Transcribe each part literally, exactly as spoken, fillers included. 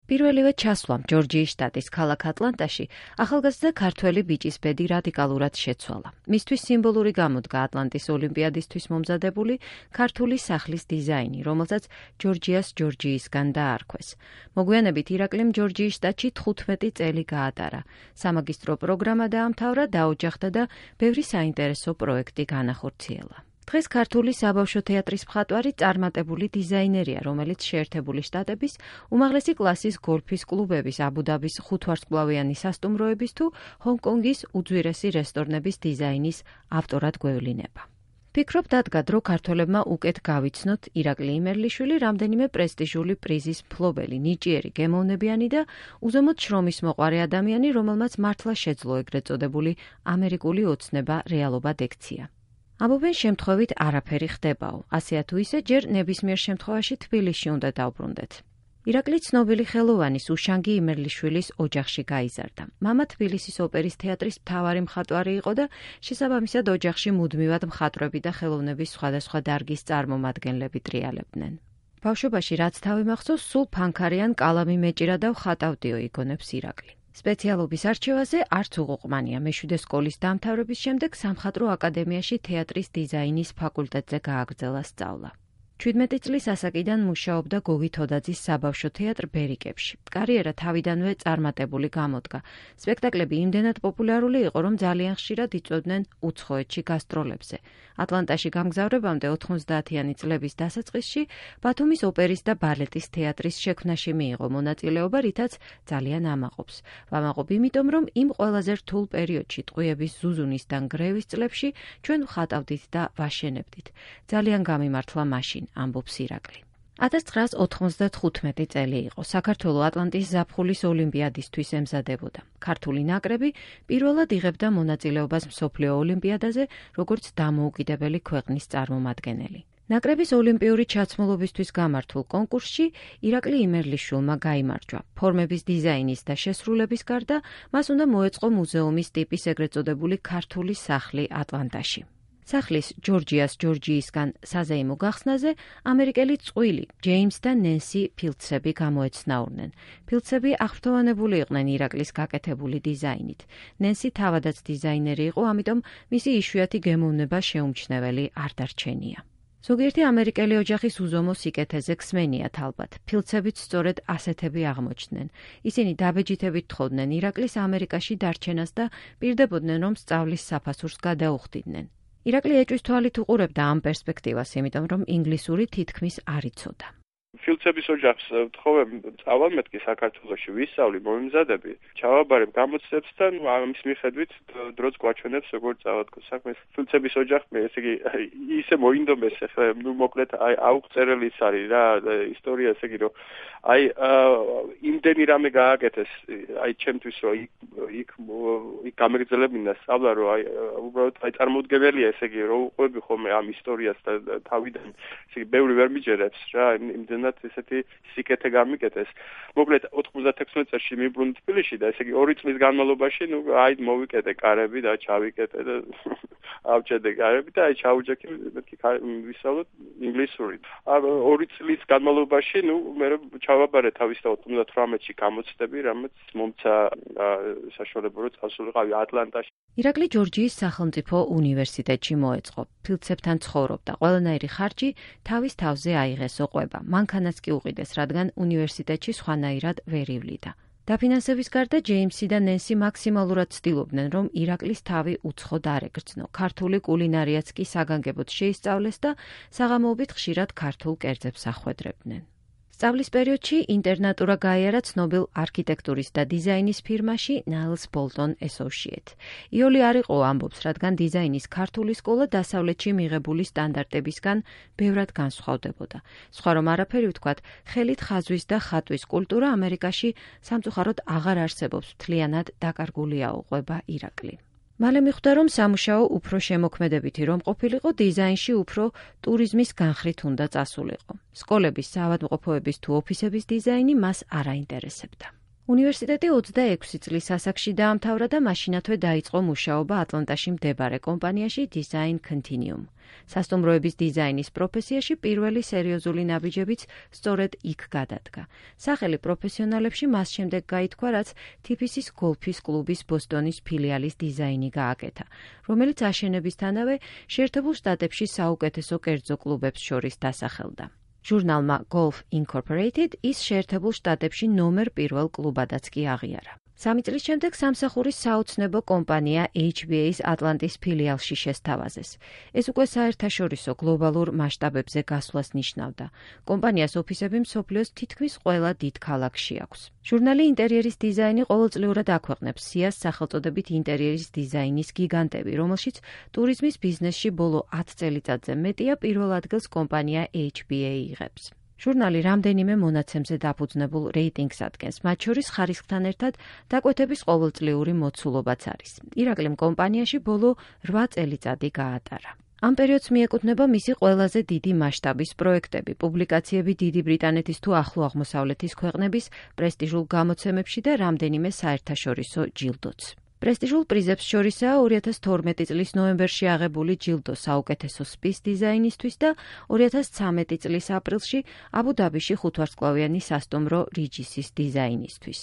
პირველივე ჩასვლამ ჯორჯიის შტატის ქალაქ ატლანტაში ახალგაზრდა ქართველი ბიჭის ბედი რადიკალურად შეცვალა. მისთვის სიმბოლური გამოდგა ატლანტის ოლიმპიადისთვის მომზადებული ქართული სახლის დიზაინი, რომელსაც ჯორჯიას ჯორჯიისგან დაარქვეს. მოგვიანებით ირაკლიმ ჯორჯიის შტატში თხუთმეტი წელი გაატარა. სამაგისტრო პროგრამა დაამთავრა, დაოჯახდა და ბევრი საინტერესო პროექტი განახორციელა. დღეს ქართული საბავშვო თეატრის მხატვარი წარმატებული დიზაინერია, რომელიც შეერთებული შტატების უმაღლესი კლასის გოლფის კლუბების, აბუ-დაბის ხუთვარსკვლავიანი სასტუმროების თუ ჰონკონგის უძვირესი რესტორნების დიზაინის ავტორად გვევლინება. ფიქრობ დადგა დრო ქართველებმა უკეთ გავიცნოთ ირაკლი იმერლიშვილი რამდენიმე პრესტიჟული პრიზის მფლობელი, ნიჭიერი, გემოვნებიანი და უზომოდ შრომის მოყვარე ადამიანი, რომელმაც მართლა შეძლო ეგრეთ წოდებული ამერიკული ოცნება რეალობა დექცია. ამბობენ შემთხვევით არაფერი ხდებაო, ასეა თუ ისე ჯერ ნებისმიერ შემთხვევაში თბილისში უნდა დავბრუნდეთ. ირაკლი ცნობილი ხელოვანის უშანგი იმერლიშვილის ოჯახში გაიზარდა. მამა თბილისის ოპერის თეატრის მთავარი მხატვარი იყო და შესაბამისად ოჯახში მუდმივად მხატვრები და ხელოვნების სხვადასხვა დარგის წარმომადგენლები ტრიალებდნენ. ბავშვობაში რაც თავი მახსოვს, სულ ფანქარიან კალამი მეჭირა და ვხატავდიო, იგონებს ირაკლი. სპეციალობის არჩევაზე არც უღუყმანია. მეშვიდე სკოლის დამთავრების შემდეგ სამხატვრო აკადემიაში თეატრის დიზაინის ფაკულტეტზე გააგრძელა სწავლა. ჩვიდმეტი წლის ასაკიდან მუშაობდა გოგი თოდაძის საბავშვო თეატრ ბერიკებში. კარიერა თავიდანვე წარმატებული გამოდგა. სპექტაკლები იმდენად პოპულარული იყო, რომ ძალიან ხშირად იწვევდნენ უცხოეთში გასტროლებზე. ატლანტაში გამგზავრებამდე ოთხმოცდაათიანი წლების დასაწყისში ბათუმის ოპერის და ბალეტის თეატრის შექმნაში მიიღო მონაწილეობა, რითაც ძალიან ამაყობს. ვამაყობ იმიტომ, რომ იმ ყველაზე რთულ პერიოდში, ტყვიების ზუზუნისთან გრევის წლებში ჩვენ ვხატავდით და ვაშენებდით. ძალიან გამიმართლა მაშინ, ამბობს ირაკლი. ათას ცხრაას ოთხმოცდათხუთმეტი წელი იყო. საქართველო ატლანტის ზაფხულის ოლიმპიადისთვის ემზადებოდა. ქართული ნაკრები პირველად იღებდა მონაწილეობას მსოფლიო ოლიმპიადაზე, როგორც დამოუკიდებელი ქვეყნის წარმომადგენელი. ნაკრების ოლიმპიური ჩაცმულობისთვის გამართულ კონკურსში ირაკლი იმერლიშვილმა გაიმარჯვა. ფორმების დიზაინის და შესრულების გარდა მას უნდა მოეწყო მუზეუმის ტიპის ეგრეთ წოდებული ქართული სახლი ატლანტაში. სახლის ჯორჯიას ჯორჯიისგან საზეიმო გახსნაზე ამერიკელი წყვილი ჯეიმს და ნენსი ფილდსები გამოეცნაურნენ. ფილდსები აღფრთოვანებული იყვნენ ირაკლის გაკეთებული დიზაინით. ნენსი თავადაც დიზაინერი იყო, ამიტომ მისი იშვიათი გემოვნება შეუმჩნეველი არ დარჩენია. ზოგიერთი ამერიკელი ოჯახის უზომო სიკეთეზე ქსმენიათ ალბათ. ფილდსებიც სწორედ ასეთები აღმოჩნდნენ. ისინი დაბეჯითებით თხოვდნენ ირაკლის ამერიკაში დარჩენას და პირდებოდნენ, რომ სწავლის საფასურს გადაუხდიდნენ. ირაკლი ეჭვის თვალით უყურებდა ამ პერსპექტივას, იმიტომ რომ ინგლისური თითქმის არ იცოდა. ფილდსების ოჯახს ვთხოვებ სწავლად მეთქი საქართველოში ვისწავლი, მომიმზადები, ჩავაბარებ გამოცდებსთან, ამის მიხედვით დროც გვაჩვენებს როგორც წავადგო საქმეს. ფილდსების ოჯახმა ესე იგი ისე მოინდომეს, ახლა ნუ მოკლედ აი აუღწერელი ის არის რა ისტორია, ესე იგი რომ აი იმდენი რამე გააკეთეს, აი ჩემთვის რომ იქ იქ იქ გამეგრძელებინა სწავლა, რომ აი უბრალოდ აი წარმოუდგენელია, ესე იგი რომ უყვები ხოლმე ამ ისტორიას და თავიდან, ესე იგი ბევრი ვერ მიჯერებს რა, იმდენად ესეთი სიკეთე გამიკეთეს. მოკლედ ოთხმოცდათექვსმეტ წელს მივბრუნდი თბილისში და ესე იგი ორი წლის განმავლობაში ნუ აი მოვიკეთე კარები და ჩავიკეთე და ავჭედე კარები და აი ჩაუჯექი მეთქი ვისწავლოთ ინგლისური. ორი წლის განმავლობაში ნუ მე ჩავაბარე თავის და ოცდათვრამეტში გამოცდები, რამაც მომცა საშუალება რომ წავსულიყავი ატლანტაში. ირაკლი ჯორჯიის სახელმწიფო უნივერსიტეტში მოეწყო. ფილდსებთან ცხოვრობდა. ყველანაირი ხარჯი თავის თავზე აიღეს ოყვება. მანქანაც კი უყიდეს, რადგან უნივერსიტეტში სხვანაირად ვერ ივლიდა. დაფინანსების გარდა ჯეიმსი და ნენსი მაქსიმალურად ცდილობდნენ, რომ ირაკლის თავი უცხოდ არ ეკრძნო. ქართული კულინარიაც კი საგანგებოდ შეისწავლეს და საღამოობით ხშირად ქართულ კერძებს ახვედრებდნენ. სწავლის პერიოდში ინტერნატურა გაიარა ცნობილ არქიტექტურის და დიზაინის ფირმაში Niles Bolton Associates. იოლი არ იყო, ამბობს, რადგან დიზაინის ქართული სკოლა დასავლეთში მიღებული სტანდარტებისგან ბევრად განსხვავდებოდა. სხვა რომ არაფერი ვთქვათ, ხელით ხაზვის და ხატვის კულტურა ამერიკაში სამწუხაროდ აღარ არსებობს, მთლიანად დაკარგულია უყვება ირაკლი. მალე მიხვდა, რომ სამუშაო უფრო შემოქმედებითი რომ ყოფილიყო, დიზაინში უფრო ტურიზმის განხრით უნდა წასულიყო. სკოლების, საავადმყოფოების თუ ოფისების დიზაინი მას არ აინტერესებდა. უნივერსიტეტი ოცდაექვსი წლის ასაკში დაამთავრა და მაშინათვე დაიწყო მუშაობა ატლანტაში მდებარე კომპანიაში Design Continuum. სასტუმროების დიზაინის პროფესიაში პირველი სერიოზული ნაბიჯებიც სწორედ იქ გადადგა. სახელი პროფესიონალებში მას შემდეგ გაითქვა, რაც თიფისის გოლფის კლუბის ბოსტონის ფილიალის დიზაინი გააკეთა, რომელიც აშენებისთანავე შეერთებულ შტატებში საუკეთესო კერძო კლუბებს შორის დასახელდა. ჟურნალმა Golf Incorporated ის შეერთებულ შტატებში ნომერ პირველ კლუბადაც კი აღიარა. სამი წლის შემდეგ სამსახურის საოცნებო კომპანია H B A-ის ატლანტის ფილიალში შესთავაზეს. ეს უკვე საერთაშორისო გლობალურ მასშტაბებზე გასვლას ნიშნავდა. კომპანიას ოფისები მსოფლიოს თითქმის ყველა დიდ ქალაქში აქვს. ჟურნალი ინტერიერის დიზაინი ყოველწლიურად აქვეყნებს სიას სახელწოდებით ინტერიერის დიზაინის გიგანტები, რომელშიც ტურიზმის ბიზნესში ბოლო ათ წელიწადზე მეტია პირველ ადგილს კომპანია H B A იღებს. ჟურნალი რამდენიმე მონაცემზე დაფუძნებულ რეიტინგს ადგენს, მათ შორის ხარისხთან ერთად დაკვეთების ყოველწლიური მოცულობაც არის. ირაკლიმ კომპანიაში ბოლო რვა წელიწადი გაატარა. ამ პერიოდს მიეკუთვნება მისი ყველაზე დიდი მასშტაბის პროექტები, პუბლიკაციები დიდი ბრიტანეთის თუ ახლო აღმოსავლეთის ქვეყნების პრესტიჟულ გამოცემებში და რამდენიმე საერთაშორისო ჯილდოც. პრესტიჟულ პრიზებს შორისაა ორი ათას თორმეტი წლის ნოემბერში აღებული ჯილდო საუკეთესო სპის დიზაინისთვის და ორი ათას ცხრამეტი წლის აპრილში აბუ-დაბიში ხუთვარსკვლავიანი სასტუმრო Regis's დიზაინისთვის.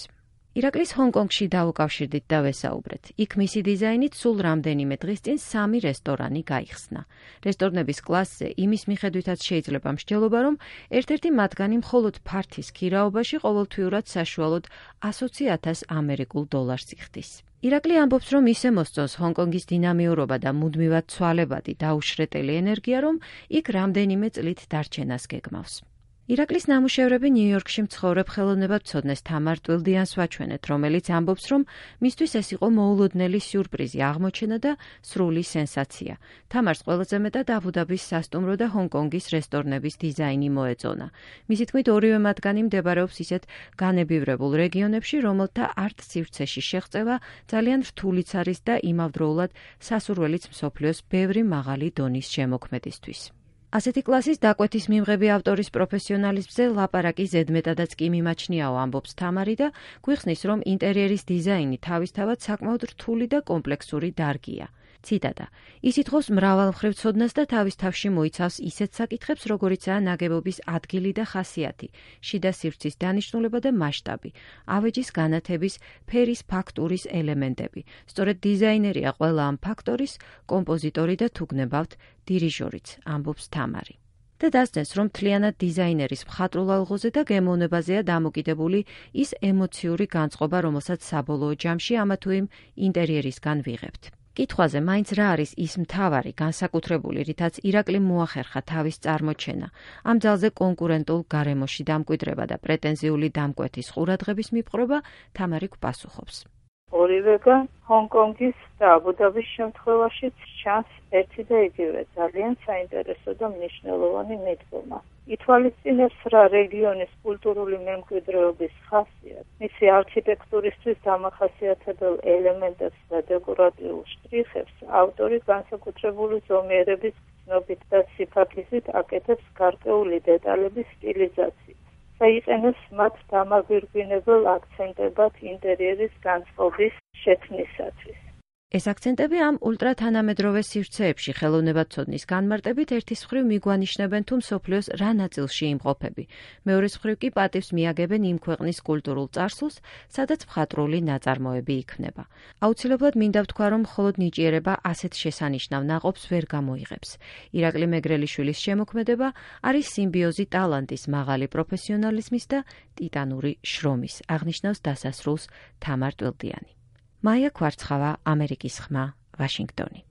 ირაკლის ჰონკონგში დაუკავშირდით და ვესაუბრეთ. იქ მისი დიზაინით სულ რამდენიმე დღის წინ სამი რესტორანი გაიხსნა. რესტორნების კლასზე იმის მიხედვითაც შეიძლება მსჯელობა, რომ ერთ-ერთი მათგანი მხოლოდ ფართის ქირაობაში ყოველთვიურად საშუალოდ ასოცი ათას ამერიკულ დოლარს იხდის. ირაკლი ამბობს, რომ ისე მოსწონს ჰონკონგის დინამიურობა და მუდმივად ცვალებადი დაუშრეტელი ენერგია, რომ იქ რამდენიმე წლით დარჩენას გეგმავს. ირაკლის ნამუშევრები ნიუ-იორკში მცხოვრებ ხელოვნებაცოდნეს თამარ ტვილდიანს ვაჩვენეთ, რომელიც ამბობს, რომ მისთვის ეს იყო მოულოდნელი სიურპრიზი, აღმოჩენა და სრული სენსაცია. თამარს ყველაზე მეტად აბუ-დაბის სასტუმრო და ჰონკონგის რესტორნების დიზაინი მოეწონა. მისი თქმით, ორივე მათგანი მდებარეობს ისეთ განებივრებულ რეგიონებში, რომელთა არტ სივრცეში შეღწევა ძალიან რთულიც არის და იმავდროულად სასურველიც მსოფლიოს ბევრი მაღალი დონის შემოქმედისთვის. ასეთი კლასის დაკვეთის მიმღები ავტორის პროფესიონალიზმზე ლაპარაკი ზედმეტადაც კი მიმაჩნიაო, ამბობს თამარი და გვიხსნის, რომ ინტერიერის დიზაინი თავისთავად საკმაოდ რთული და კომპლექსური დარგია. ციტატა: ის ითხოვს მრავალმხრივ ცოდნას და თავის თავში მოიცავს ისეთ საკითხებს, როგორიცაა ნაგებობის ადგილი და ხასიათი, შიდა სივრცის დანიშნულება და მასშტაბი, ავეჯის განათების, ფერის ფაქტურის ელემენტები. სწორედ დიზაინერია ყველა ამ ფაქტორის კომპოზიტორი და თუ გნებავთ, დირიჟორიც, ამბობს თამარი. და დასწრეს, რომ მთლიანად დიზაინერის მხატვრულ ალღოზე და გემოვნებაზეა დამოკიდებული ის ემოციური განწყობა, რომელსაც საბოლოო ჯამში ამა თუ იმ ინტერიერისგან ვიღებთ. კითხვაზე, მაინც რა არის ის მთავარი, განსაკუთრებული, რითაც ირაკლიმ მოახერხა თავის წარმოჩენა, ამ ძალზე კონკურენტულ გარემოში დამკვიდრება და პრეტენზიული დამკვეთის ყურადღების მიპყრობა, თამარი გვპასუხობს. ორივეგან ჰონკონგის და აბუ-დაბის შემთხვევაშიც ჩანს ერთი და იგივე ძალიან საინტერესო და მნიშვნელოვანი მიდგომა. ითვალისწინებს რა რეგიონის კულტურული მემკვიდრეობის ხასიათს, მისი არქიტექტურისთვის დამახასიათებელ ელემენტებს და დეკორატიულ შტრიხებს ავტორი განსაკუთრებული ზომიერების გრძნობით და სიფათლისით აკეთებს გარკვეული დეტალების სტილიზაციით. საიყენებს მათ დამაგვირგვინებელ აქცენტებად ინტერიერის განწყობის შექმნისათვის. ეს აქცენტები ამ ულტრათანამედროვე სივრცეებში ხელოვნებაცოდნის განმარტებით ერთის მხრივ მიგვანიშნებენ თუ მსოფლიოს რა ნაწილში იმყოფები, მეორის მხრივ კი პატივს მიაგებენ იმ ქვეყნის კულტურულ წარსულს, სადაც მხატვრული ნაწარმოები იქმნება. აუცილებლად მინდა ვთქვა, რომ მხოლოდ ნიჭიერება ასეთ შესანიშნავ ნაყოფს ვერ გამოიღებს. ირაკლი მეგრელიშვილის შემოქმედება არის სიმბიოზი ტალანტის, მაღალი პროფესიონალიზმის და ტიტანური შრომის, აღნიშნავს დასასრულს თამარ ტვილდიანი. მაია ქვარცხავა, ამერიკის ხმა, ვაშინგტონი.